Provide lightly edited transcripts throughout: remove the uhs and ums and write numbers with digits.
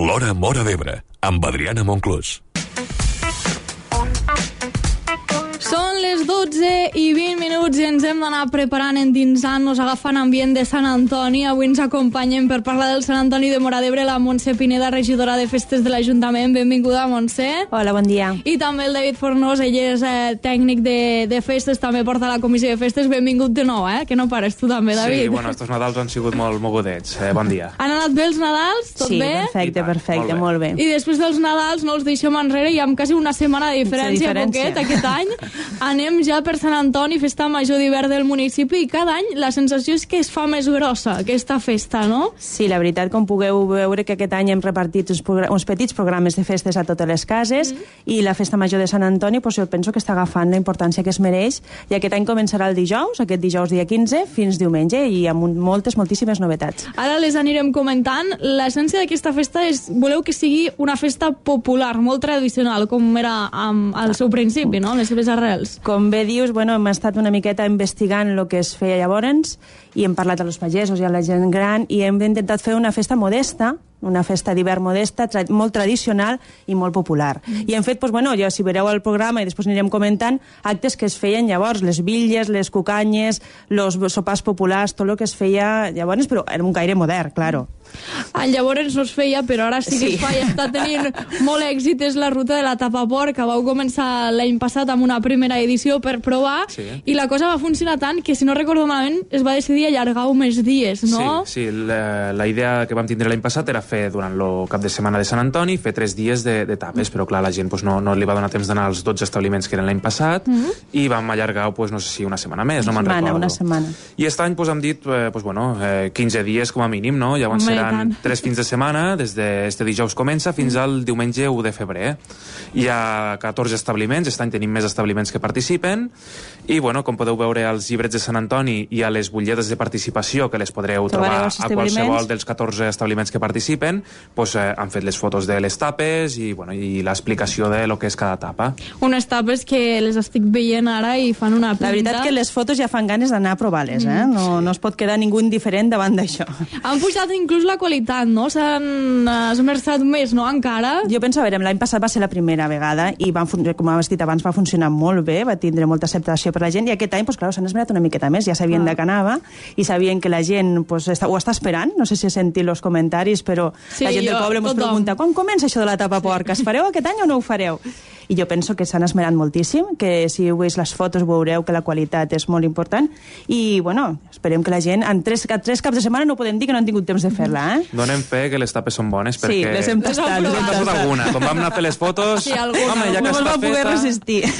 L'Hora Móra d'Ebre, amb Adriana Monclús. Són les 12:20 i ens hem d'anar preparant, endinsant-nos, agafant ambient de Sant Antoni. Avui ens acompanyen per parlar del Sant Antoni de Móra d'Ebre la Montse Pineda, regidora de Festes de l'Ajuntament. Benvinguda, Montse. Hola, bon dia. I també el David Fornós, ell és tècnic de festes, també porta la comissió de festes. Benvingut de nou, que no pares tu també, David. Sí, bueno, estos Nadals han sigut molt mogudets. Bon dia. Han anat bé els Nadals? Tot bé? Sí, perfecte, molt bé. I després dels Nadals no els deixem enrere i amb quasi una setmana de diferència. Poquet, aquest any. Anem ja per Sant Antoni, festa major d'hivern del municipi, i cada any la sensació és que es fa més grossa aquesta festa, no? Sí, la veritat, com pugueu veure, que aquest any hem repartit uns petits programes de festes a totes les cases, i la festa major de Sant Antoni, jo penso que està agafant la importància que es mereix, i aquest any començarà el dijous, aquest dijous dia 15, fins diumenge, i amb moltíssimes novetats. Ara les anirem comentant. L'essència d'aquesta festa és, voleu que sigui una festa popular, molt tradicional, com era al seu principi, no?, les seves arrels. Com bé dius, hem estat una miqueta investigant el que es feia llavors i hem parlat als pagesos i a la gent gran i hem intentat fer una festa modesta, una festa d'hivern modesta, molt tradicional i molt popular. I hem fet, ja si veureu el programa i després anirem comentant, actes que es feien llavors, les bitlles, les cucanyes, els sopars populars, tot el que es feia llavors, però en un caire modern, claro. Llavors no es feia, però ara sí que es fa i està tenint molt èxit. És la ruta de la Tapaport, que vau començar l'any passat amb una primera edició per provar, i la cosa va funcionar tant que, si no recordo malament, es va decidir allargar més dies, no? Sí, la idea que vam tindre l'any passat era fer durant el cap de setmana de Sant Antoni, fer 3 dies de tapes, però clar, la gent no li va donar temps d'anar als 12 establiments que eren l'any passat, i vam allargar, no sé si una setmana més, no me'n recordo. Una setmana. I aquest any hem dit, 15 dies com a mínim, no? Llavors seran 3 fins de setmana, des d'este dijous comença fins al diumenge 1 de febrer. Hi ha 14 establiments, aquest any tenim més establiments que participen, i com podeu veure als llibrets de Sant Antoni i a les butlletes de participació, que les podreu trobar a qualsevol dels 14 establiments que participen, han fet les fotos de les tapes i l'explicació de lo que és cada tapa. Unes tapes que les estic veient ara i fan una pinta. La veritat que les fotos ja fan ganes d'anar a provar-les, no es pot quedar ningú indiferent davant d'això. Han pujat inclús la qualitat, no? S'han esmerçat més, no? Encara? Jo penso, l'any passat va ser la primera vegada i, com has dit abans, va funcionar molt bé, va tindre molta acceptació per la gent, i aquest any, s'han esmerat una miqueta més, ja sabien de què anava i sabien que la gent ho està esperant. No sé si he sentit els comentaris, però la gent del poble ens pregunta: quan comença això de la Tapaport? Es fareu aquest any o no ho fareu? I jo penso que s'han esmerat moltíssim, que si heu vist les fotos veureu que la qualitat és molt important, i esperem que la gent, en 3 caps de setmana no podem dir que no han tingut temps de fer-la. Donem fe que les tapes són bones, perquè... Sí, les hem tastat. Alguna. Com vam anar a fer les fotos, ja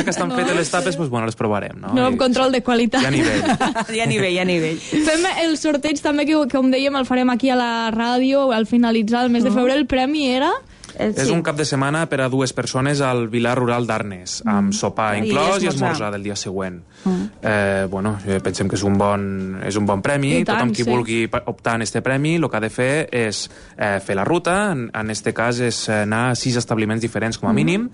que estan fetes les tapes, les provarem, no? No, amb control de qualitat. Hi ha nivell. Fem el sorteig també, que com dèiem, el farem aquí a la ràdio al finalitzar el mes de febrer. El premi era... És un cap de setmana per a 2 persones al Vilar Rural d'Arnes, amb sopar inclòs i esmorzar del dia següent. Pensem que és un bon premi. Tothom qui vulgui optar en este premi, el que ha de fer és fer la ruta. En este cas és anar a 6 establiments diferents com a mínim,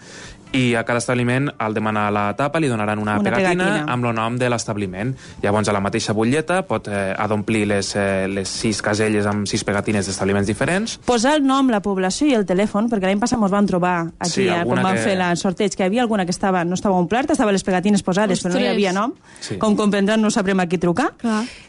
i a cada establiment, al demanar la tapa, li donaran una pegatina amb el nom de l'establiment. Llavors, a la mateixa butlleta ha d'omplir les 6 caselles amb 6 pegatines d'establiments diferents. Posar el nom, la població i el telèfon, perquè l'any passat ens vam trobar aquí, quan vam fer el sorteig, que hi havia alguna que no estava omplert, estaven les pegatines posades, però no hi havia nom. Com comprendran, no sabrem a qui trucar.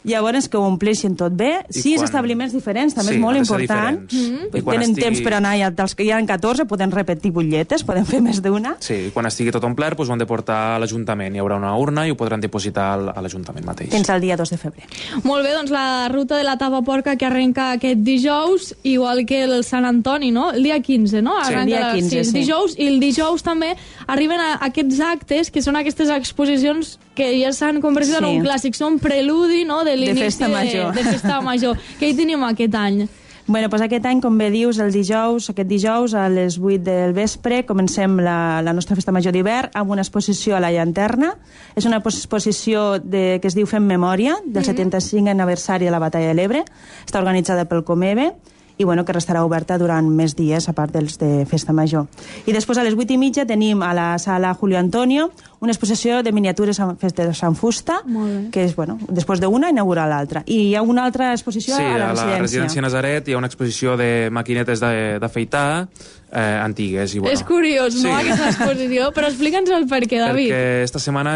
Llavors, que ho ompleixin tot bé. 6 establiments diferents, també és molt important. Tenen temps per anar, ja hi ha 14, poden repetir butlletes, poden fer més d'una. Sí, quan estigui tot omplert, ho han de portar a l'Ajuntament. Hi haurà una urna i ho podran depositar a l'Ajuntament mateix. Fins al dia 2 de febrer. Molt bé, doncs la ruta de la Tapaport que arrenca aquest dijous, igual que el Sant Antoni, no? El dia 15, no? Sí, el dia 15, sí. Dijous, i el dijous també arriben aquests actes, que són aquestes exposicions que ja s'han convertit en un clàssic. Són preludi, no?, de l'inici de festa major. Què hi tenim aquest any? Aquest any, com bé dius, aquest dijous a les 8 del vespre comencem la nostra festa major d'hivern amb una exposició a la llanterna. És una exposició que es diu Fem Memòria, del 75 aniversari de la Batalla de l'Ebre. Està organitzada pel Comebe i que restarà oberta durant més dies, a part dels de festa major. I després, a les 8:30, tenim a la sala Julio Antonio una exposició de miniatures fetes en fusta, que és, bueno, després d'una inaugurar l'altra. I hi ha una altra exposició a la residència. Sí, a la residència Nazaret hi ha una exposició de maquinetes d'afeitar antigues. I, bueno, és curiós, no, aquesta exposició? Però explica'ns el perquè, David. Perquè esta setmana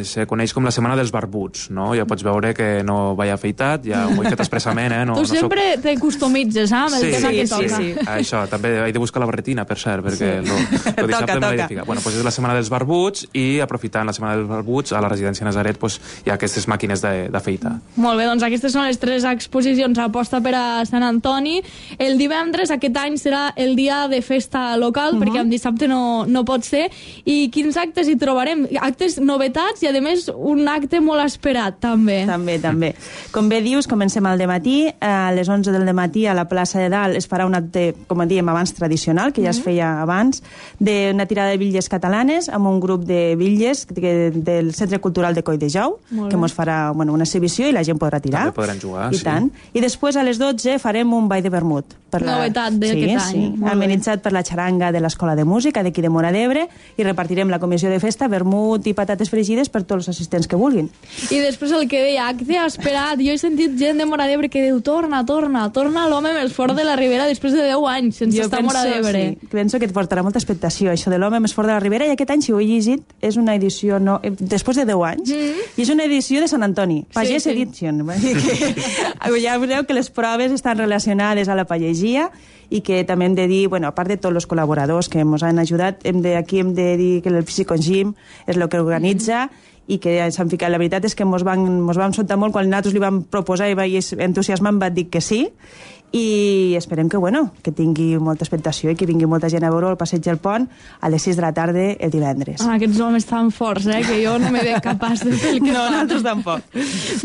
se coneix com la setmana dels barbuts, no? Ja pots veure que no vaig afeitat, ja ho he fet expressament, No, tu sempre te customitzes, amb el tema que toca. Sí. Això, també he de buscar la barretina, per cert, perquè el dissabte me l'he de ficar. Bueno, és la setmana dels barbuts i aprofitant la setmana dels barbuts a la residència Nazaret hi ha aquestes màquines d'afeitar. Molt bé, doncs aquestes són les 3 exposicions a aposta per a Sant Antoni. El divendres aquest any serà el dia de festa local, perquè en dissabte no pot ser. I quins actes hi trobarem? Actes novetats i, a més, un acte molt esperat, també. També. Com bé dius, comencem al dematí. A les 11 del dematí a la plaça de Dalt es farà un acte, com dèiem abans, tradicional, que ja es feia abans, d'una tirada de bitlles catalanes amb un grup de bitlles del Centre Cultural de Coll de Jou, que ens farà una exhibició i la gent podrà tirar. També podran jugar, I tant. I després a les 12 farem un ball de vermut. Novetat d'aquest any. Amenitzat per la xaranga de l'Escola de Música d'aquí de Móra d'Ebre, i repartirem la comissió de festa, vermut i patates fregides per tots els assistents que vulguin. I després el que deia, acte esperat. Jo he sentit gent de Móra d'Ebre que diu torna l'home més fort de la Ribera després de 10 anys sense estar a Móra d'Ebre. Sí, penso que et portarà molta expectació, això de l'home més fort de la Ribera, i aquest any, si ho he llegit, és una edició després de 10 anys, i és una edició de Sant Antoni, Pagès Edition. Ja veureu que les proves estan relacionades a la pagesia, i que també hem de dir, a part de tots els col·laboradors que ens han ajudat, aquí hem de dir que el Psicogym és el que organitza, i que s'han ficat. La veritat és que ens vam soltar molt quan nosaltres li vam proposar i vaig entusiasmar, em va dir que sí, i esperem que tingui molta expectació i que vingui molta gent a veure el passeig del Pont a les 6 de la tarda el divendres. Aquests homes tan forts, que jo no m'he de capaç de fer el que fan. Nosaltres tampoc.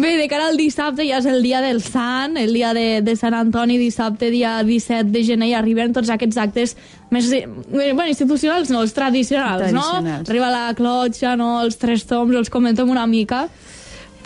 Bé, de cara al dissabte ja és el dia del Sant, el dia de Sant Antoni, dissabte, dia 17 de gener, i arriben tots aquests actes més institucionals, no, els tradicionals, no? Arriba la clotxa, no? Els 3 toms, els comentem una mica.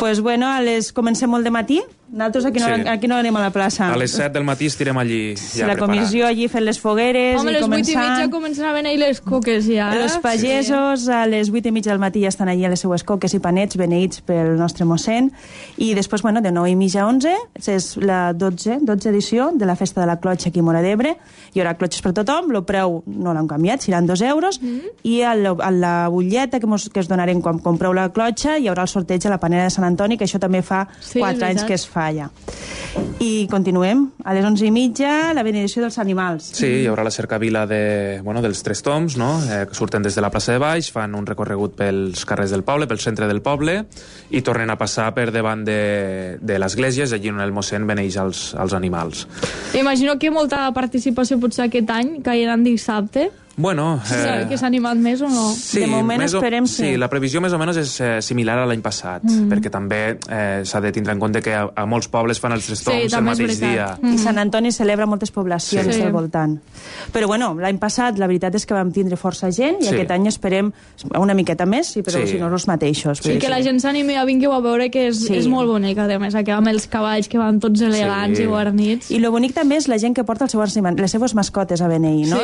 Pues comencem molt de matí. Nosaltres aquí no anem a la plaça. A les 7 del matí estirem allí ja la comissió allí fent les fogueres. Home, a les 8:30 comencen a venir les coques ja. Els pagesos a les 8:30 del matí ja estan allí a les seues coques i panets beneïts pel nostre mossèn, i després, de 9:30 a 11 és la 12 edició de la festa de la clotxa aquí a Móra d'Ebre. Hi haurà clotxes per tothom, el preu no l'han canviat, seran 2 euros, i a la butlleta que es donarem quan compreu la clotxa hi haurà el sorteig a la panera de Sant Antoni, que això també fa 4 anys que es fa allà. I continuem. A les 11:30 la benedicció dels animals. Sí, hi haurà la cercavila dels 3 toms, no? Que surten des de la plaça de Baix, fan un recorregut pels carrers del poble, pel centre del poble, i tornen a passar per davant de l'església, allí on el mossèn beneix els animals. Imagino que molta participació potser aquest any, que hi ha dissabte. Bueno... que s'ha animat més o no? Sí, de moment esperem sí, la previsió més o menys és similar a l'any passat, perquè també s'ha de tindre en compte que a molts pobles fan els 3 toms el mateix dia. I Sant Antoni celebra moltes poblacions al voltant. Però l'any passat la veritat és que vam tindre força gent, i aquest any esperem una miqueta més, però si no els mateixos. Sí, que la gent s'animi a vingui a veure, que és molt bonica, a més, amb els cavalls que van tots elegants i guarnits. I lo bonic també és la gent que porta les seves mascotes a beneir, no?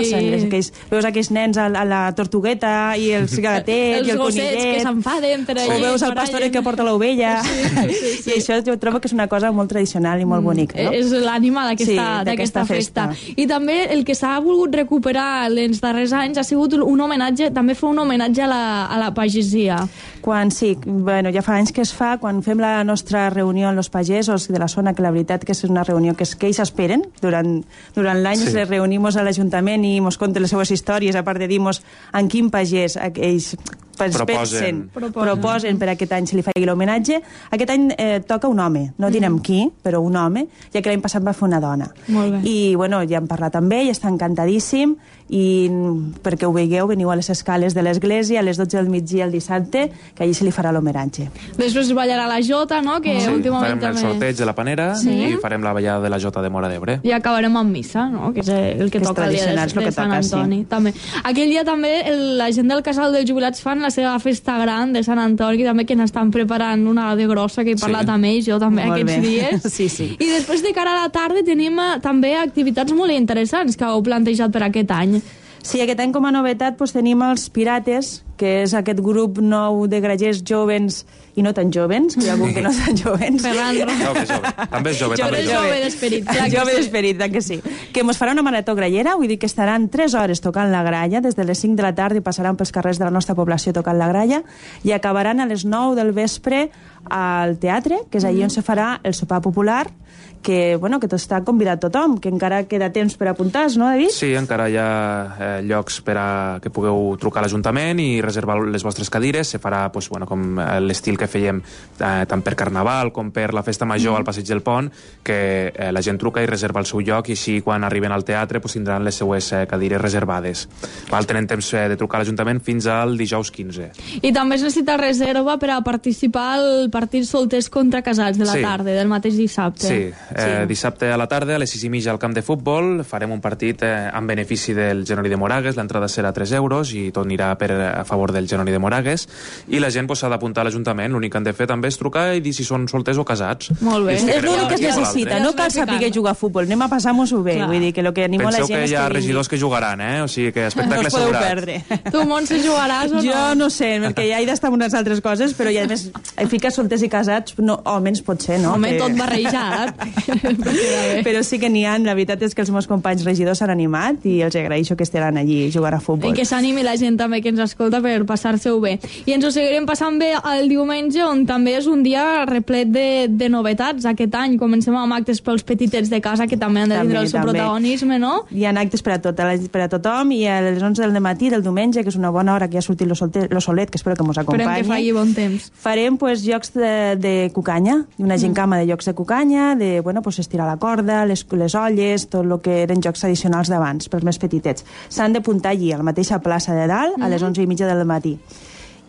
Veus aquells nens a la tortugueta i els gatets i el conillet, que s'enfaden per allà, o veus el pastor que porta l'ovella, i això jo trobo que és una cosa molt tradicional i molt bonica, no? És l'ànima d'aquesta festa. I també el que s'ha volgut recuperar els darrers anys ha sigut un homenatge, també fer un homenatge a la pagesia. Ja fa anys que es fa, quan fem la nostra reunió amb els pagesos de la zona, que la veritat que és una reunió que ells esperen durant l'any, les reunim a l'Ajuntament i ens conten les seves històries, a part de dir-nos en quin pagès ells proposen per aquest any se li faci l'homenatge. Aquest any toca un home, no direm qui, però un home, ja que l'any passat va fer una dona. I ja hem parlat amb ell, està encantadíssim, i perquè ho veieu, veniu a les escales de l'església a les 12 del migdia el dissabte, que allí se li farà l'homenatge. Després ballarà la jota, no? Que últimament farem el sorteig de la panera i farem la ballada de la jota de Móra d'Ebre. I acabarem amb missa, no? Que és el que toca el dia de Sant Antoni. Aquell dia també la gent del Casal dels Jubilats fan la seva festa gran de Sant Antoni, també que n'estan preparant una de grossa, que he parlat amb ells, jo també aquests dies. I després de cara a la tarda tenim també activitats molt interessants que heu plantejat per aquest any. Sí, aquest any com a novetat tenim els Pirates, que és aquest grup nou de grallers jovens i no tan jovens, que hi ha algun que no tan jovens. Ferran, També és jove. Jove d'esperit. Jove d'esperit, que sí. Que mos farà una marató grallera, vull dir que estaran 3 hores tocant la gralla, des de les 5 de la tarda i passaran pels carrers de la nostra població tocant la gralla, i acabaran a les 9 del vespre al teatre, que és allí on se farà el sopar popular, que tot està convidat tothom, que encara queda temps per apuntar-se, no, David? Sí, encara hi ha llocs per a que pugueu trucar a l'Ajuntament i reservar les vostres cadires. Se farà com l'estil que fèiem tant per Carnaval com per la Festa Major al Passeig del Pont, que la gent truca i reserva el seu lloc, i així quan arriben al teatre tindran les seues cadires reservades. Tenen temps de trucar a l'Ajuntament fins al dijous 15. I també es necessita reserva per a participar al partit solters contra casats de la tarda, del mateix dissabte. Sí. Dissabte a la tarda, a les 6:30 al camp de futbol, farem un partit en benefici del Genori de Moragues. L'entrada serà 3 euros i tot anirà a favor del Genori de Moragues, i la gent s'ha d'apuntar a l'Ajuntament. L'únic que han de fer també és trucar i dir si són solters o casats. Molt bé. És l'únic que es necessita, no cal saber jugar a futbol, anem a passar-nos-ho bé. Vull dir que el que animo a la gent Penseu que hi ha regidors que jugaran, o sigui que espectacle assegurat. No us podeu perdre. Tu, Montse, jugaràs o no? Jo no sé, perquè ja he d'estar amb unes altres coses, però ja, a més, ficar solters i casats, almenys pot ser, no? Home, tot barrejat. Però sí que n'hi ha, la veritat és que els meus companys regidors s'han animat i els agraeixo que estaran allí jugant a futbol. I que s'animi la gent també que ens escolta per passar-se-ho bé. I ens ho seguirem passant bé el diumenge, on també és un dia replet de novetats. Aquest any comencem amb actes pels petitets de casa, que també han de tindre el seu protagonisme, no? Hi ha actes per a tothom, i a les 11 del matí del diumenge, que és una bona hora que ja ha sortit lo solet, que espero que mos acompanyi. Esperem que faci bon temps. Farem jocs de cucanya, una gincama de jocs de cucanya, de estirar la corda, les olles, tot el que eren jocs tradicionals d'abans, pels més petitets. S'han d'apuntar allí, a la mateixa plaça de dalt, a les 11:30 del matí.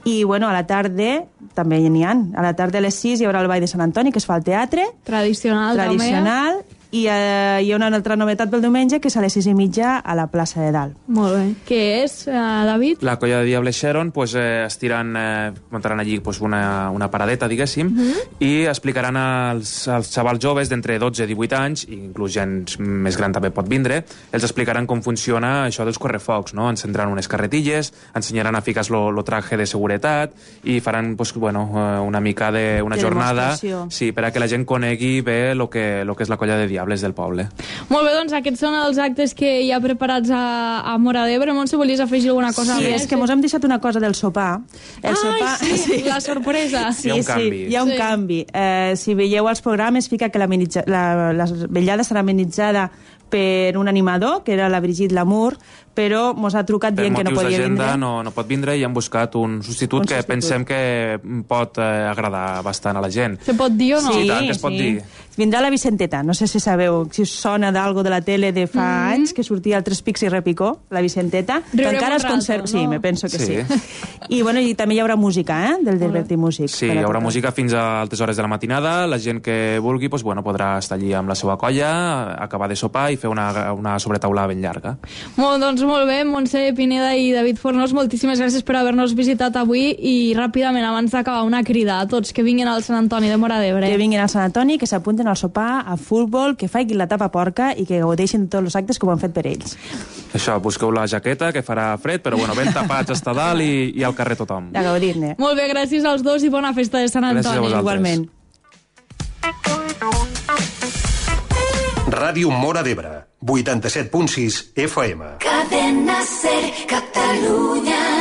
I, a la tarda també n'hi ha. A la tarda a les 6 hi haurà el Ball de Sant Antoni, que es fa al teatre. Tradicional. I hi ha una altra novetat pel diumenge, que és a les 6:30 a la plaça de dalt. Molt bé. Què és, David? La colla de Diable Sharon muntaran allí una paradeta, diguéssim, i explicaran als xavals joves d'entre 12 i 18 anys, i inclús gent més gran també pot vindre, els explicaran com funciona això dels correfocs, no? Encendran unes carretilles, ensenyaran a ficar lo traje de seguretat, i faran una mica d'una jornada per a que la gent conegui bé lo que és la colla de Diable del poble. Molt bé, doncs aquests són els actes que hi ha preparats a Móra d'Ebre. Montse, volies afegir alguna cosa més? Sí, és que mos hem deixat una cosa del sopar. Sí, la sorpresa. Hi ha un canvi. Hi ha un canvi. Si veieu els programes, fica que la vetllada serà amenitzada per un animador, que era la Brigitte Lamour, però mos ha trucat dient que no podia vindre. Per motius d'agenda no pot vindre, i hem buscat un substitut que pensem que pot agradar bastant a la gent. Se pot dir o no? Sí, tant que es pot dir. Vindrà la Vicenteta, no sé si sabeu, si us sona d'algo de la tele de fa anys, que sortia al Tres Pics i Repicó, la Vicenteta, que encara es conserva... No? Sí, me penso que sí. I també hi haurà música, del Delberti Músic. Sí, hi haurà música fins a altes hores de la matinada. La gent que vulgui podrà estar allí amb la seva colla, acabar de sopar i fer una sobretaula ben llarga. Molt bé, Montse Pineda i David Fornós, moltíssimes gràcies per haver-nos visitat avui, i ràpidament, abans d'acabar, una crida a tots que vinguin al Sant Antoni de Móra d'Ebre. Que vinguin al Sant Antoni, que s'apunten al sopar, a futbol, que faiguin la tapa porca i que gaudeixin tots els actes que ho han fet per ells. Això, busqueu la jaqueta, que farà fred, però ben tapats està dalt i al carrer tothom. A gaudir-ne. Molt bé, gràcies als dos i bona festa de Sant Antoni. Gràcies a vosaltres. Igualment. Ràdio Móra d'Ebre, 87.6 FM. Cadena Ser, Catalunya.